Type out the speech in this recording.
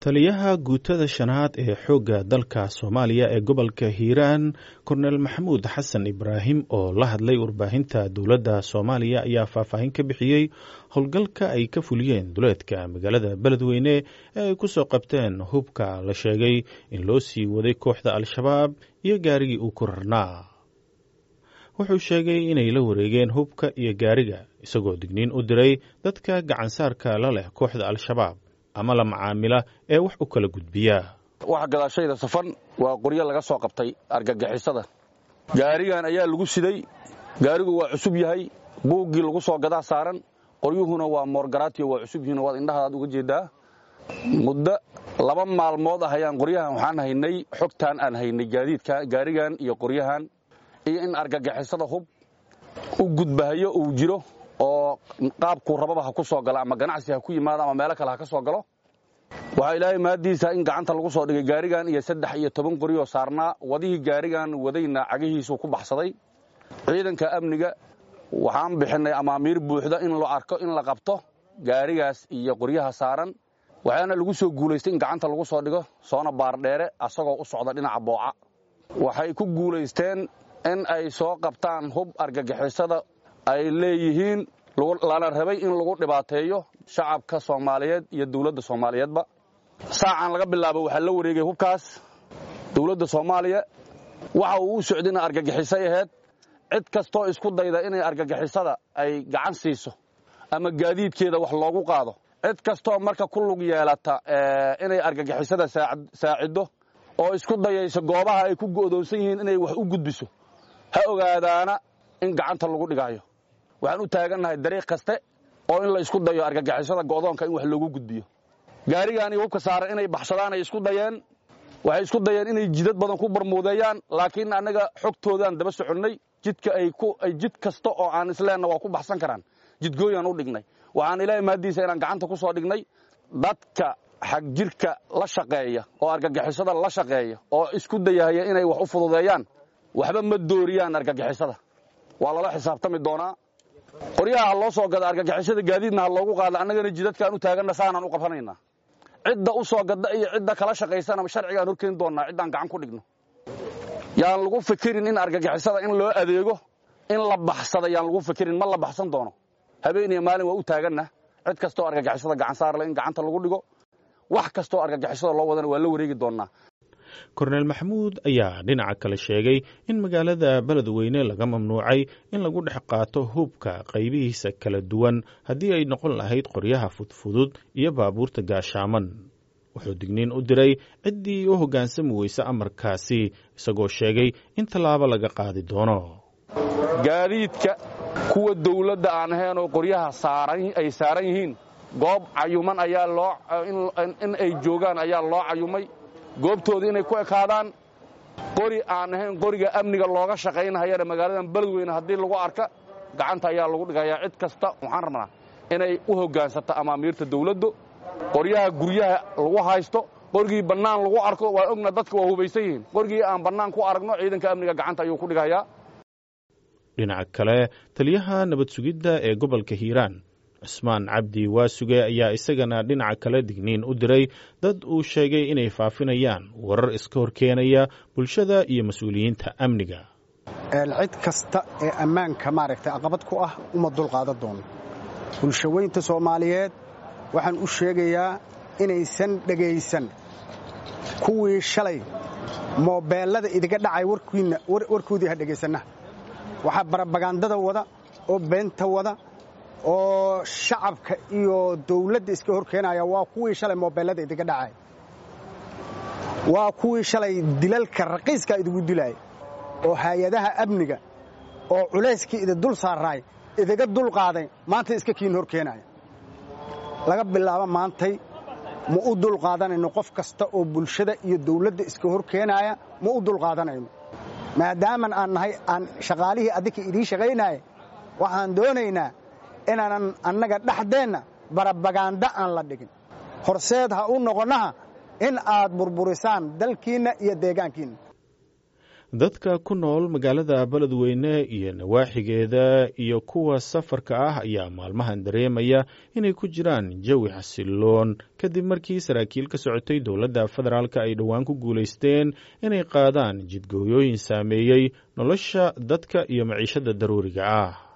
Taliyaha guutada shanaad ee xoogga dalka Soomaaliya ee gobolka Hiiraan, Korneel Maxamuud Xasan Ibraahim, oo la hadlay warbaahinta dowladda Soomaaliya, ayaa faahfaahin ka bixiyey howlgalka ay ka fuliyeen duleedka magaalada Beledweyne ee ay ku soo qabteen hubka la sheegay in loo sii waday kooxda Al-Shabaab iyo gaarigii uu ku rarnaa. Wuxuu sheegay inay la wareegeen hubka iyo gaariga, isagoo digniin u diray dadka gacansaarka la leh kooxda Al-Shabaab ama la macaamila ee wax u kala gudbiya. Waxa gadaashayda safan waa qoryo laga soo qabtay argagixisada. Gaarigan ayaa lagu siday. Gaarigu waa cusub yahay, buuggii lagu soo gadaa saaran, qoryuhuna waa moorgaraatiyo, waa cusub yihiin, waad indhahadaad uga jeeddaa. Muddo 2 maalmood ah ayaan qoryahan waxaan haynay, xogtaan aan haynay gaadiidka gaarigan iyo qoryahan iyo in argagixisada hub u gudbahayo uu jiro oo qaabkuu rababa ha ku soo galo, ama ganacsi ha ku yimaado ama meelo kale ha ka soo galo. Waxaa Ilaahay mahaddiisa in gacanta lagu soo dhigay gaarigan iyo 13 qoryoo saarnaa. Wadihii gaarigan wadayna cagihiisuu ku baxsaday. Ciidanka amniga waxaan bixinnay amaamiir buuxda in la arko in la qabto gaarigaas iyo qoryaha saaran, waxaana lagu soo guulaystay in gacanta lagu soo dhigo soona Baardheere asagoo u socda dhinaca Booca. Waxay ku guulaysteen in ay soo qabtaan hub argagixisada ay leeyihiin, lana rabay in lagu dhibaateeyo shacabka Soomaaliyeed iyo dowladda Soomaaliyeedba. Saacan laga bilaabo waxaa la wareegay hubkaas dowladda Soomaaliya. Waxa uu u socdayna argagixisay ahayd. Cid kastoo isku dayda inay argagixisada ay gacan siiso ama gaadiidkeeda wax loogu qaado, cid kastoo marka ku lug yeelata inay argagixisada saaciddo oo isku dayayso goobaha ay ku go'doonsan yihiin inay wax u gudbiso, ha ogaadaana in gacanta lagu dhigaayo. Waxaan u taagannahay dariiq kaste oo in la isku dayo argagixisada go'doonka in wax loogu gudbiyo. Gaarigaan iyo hubka saaran inay baxsadaan ay isku dayeen. Waxay isku dayeen inay jidad badan ku barmuudeeyaan, laakiin annaga xogtoodaan daba soconnay. Jidka ay ku jid kasta oo aan isleenna waa ku baxsan karaan, jidgooyaan u dhignay. Waxaan Ilaahay mahaddiisa inaan gacanta ku soo dhignay. Dadka xagjirka la shaqeeya oo argagixisada la shaqeeya oo isku dayahaya inay wax u fududeeyaan, waxba ma dooriyaan argagixisada, waa lala xisaabtami doonaa. Qoryaha ha loo soo gada argagixisada, gaadiidna ha loogu qaada, annagana jidadkaan u taaganna saanaan u qabsanaynaa. Cidda u soo gadda iyo cidda kala shaqaysana sharcigaan horkeeni doonnaa ciddaan gacan ku dhigno. Yaan lagu fikirin in argagixisada in loo adeego, in la baxsada yaan lagu fikirin, ma la baxsan doono. Habeen iyo maalin waa u taaganna cid kastoo argagixisada gacan saarle in gacanta lagu dhigo. Wax kastoo argagixisada loo wadana waa la wareegi doonnaa. Korneel Maxamuud ayaa dhinaca kale sheegay in magaalada Beledweyne laga mamnuucay in lagu dhex qaato hubka qaybihiisa kala duwan, haddii ay noqon lahayd qoryaha fudfudud iyo baabuurta gaashaaman. Wuxuu digniin u diray ciddii u hoggaansami weysa amarkaasi, isagoo sheegay in tallaabo laga qaadi doono. Gaadiidka kuwa dawladda aan ahayn oo qoryaha ay saaran yihiin, goob cayuman ayaa loo in ay joogaan ayaa loo cayumay, goobtooda inay ku ekaadaan. Qori aan ahayn qoriga amniga looga shaqaynahayana magaaladan Beledweyne haddii lagu arka, gacanta ayaa lagu dhigayaa. Cid kasta waxaan rabnaa inay u hoggaansato amaamiirta dawladdu. Qoryaha guryaha lagu haysto, qorigii bannaan lagu arko, waa ogna dadka waa hubaysan yihiin, qorigii aan bannaan ku aragno ciidanka amniga gacanta ayuu ku dhigayaa. Dhinaca kale, taliyaha nabad sugidda ee gobolka Hiiraan, Cusmaan Cabdi Waasuge, ayaa isagana dhinaca kale digniin u diray dad uu sheegay inay faafinayaan warar iska horkeenaya bulshada iyo mas-uuliyiinta amniga. Cid kasta ee ammaanka maaragtay aqabad ku ah uma dulqaadan doono. Bulshaweynta Soomaaliyeed waxaan u sheegayaa inaysan dhegaysan kuwii shalay moobeellada idiga dhacay warkoodii, ha dhegaysanna. Waxaa barabagandada wada oo beenta wada oo shacabka iyo dawladda iska hor keenaya waa kuwii shalay moobeellada idiga dhacay, waa kuwii shalay dilalka raqiiskaa idigu dilaaya oo hay-adaha amniga oo culayskii idi dul saaraay idiga dul qaaday, maanta iska kiin hor keenaya. Laga bilaabo maantay ma u dul qaadanayno qof kasta oo bulshada iyo dawladda iska hor keenaaya, ma u dul qaadanayno. Maadaaman aan nahay aan shaqaalihii adinka idiin shaqaynaaya, waxaan doonaynaa inaanan annaga dhexdeenna barabagaanda aan la dhigin. Horseed ha u noqonnaha in aad burburisaan dalkiinna iyo deegaankiinna. Dadka ku nool magaalada Beledweyne iyo nawaaxigeeda iyo kuwa safarka ah ayaa maalmahan dareemaya inay ku jiraan jawi xasiloon kadib markii saraakiil ka socotay dowladda federaalka ay dhowaan ku guulaysteen inay qaadaan jidgooyooyin saameeyey nolosha dadka iyo maciishada daruuriga ah.